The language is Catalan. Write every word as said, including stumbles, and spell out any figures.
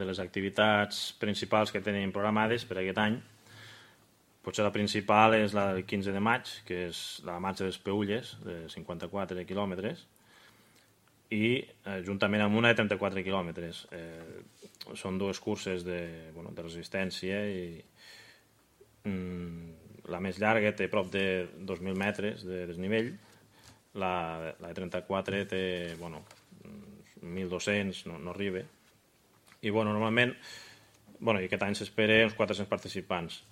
De les activitats principals que tenim programades per aquest any, potser la principal és la del quinze de maig, que és la marxa de les Peülles, de cinquanta-quatre quilòmetres, i eh, juntament amb una de trenta-quatre quilòmetres. Eh, són dues curses de, bueno, de resistència i mm, la més llarga té prop de dos mil metres de desnivell, la, la de trenta-quatre té bueno, mil dos-cents, no, no arriba. I bueno, normalment, bueno, i aquest any s'espera uns quatre-cents participants.